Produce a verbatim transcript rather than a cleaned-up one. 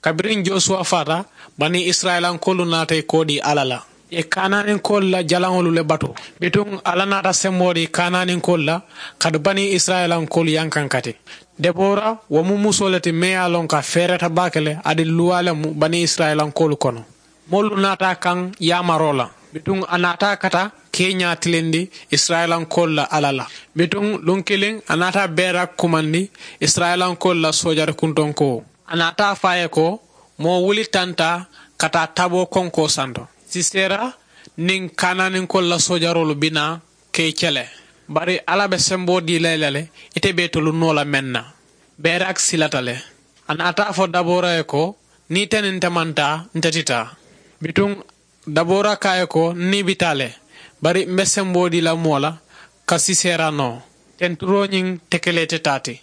Kabiriŋ josuwa faata, bani isirayilankoolu naata i koodii alla la, i ye kaanaaninkoolu la jalaŋolu le batu. Bituŋ alla naata semboo dii kaanaaninkoolu la, kaatu bani isirayilankoolu yankankati. Debora, wo mu musoo le ti meŋ ye a loŋ ko a feereta baake le, aduŋ luwaa le mu bani isirayilankoolu kono. Moolu naata a kaŋ yaamaroo la. Bituŋ a naata a kata keeñaa tilindi isirayilankoolu la alla la. Bituŋ luŋ kiliŋ a naata a beera kumandi isirayilankoolu la soojari kuntoŋ ko, a naata a fo a ye ko, moo wuli tanta ka taa taboo konkoo santo. Sisera niŋ kaanaaninkoolu la soojaroolu bi naa ka i kele, bari alla be semboo dii la i la le. Ite be itolu noo la meŋ na, beerak silata le. A naata a fo dabora ye ko, niŋ ite niŋ nte maŋ taa, nte ti taa. Bituŋ dabora ko a ye ko, n niibitaa le, bari m be semboo dii la moo la ka sisera noo. Tenturoo ñiŋ tekelee te taa ti.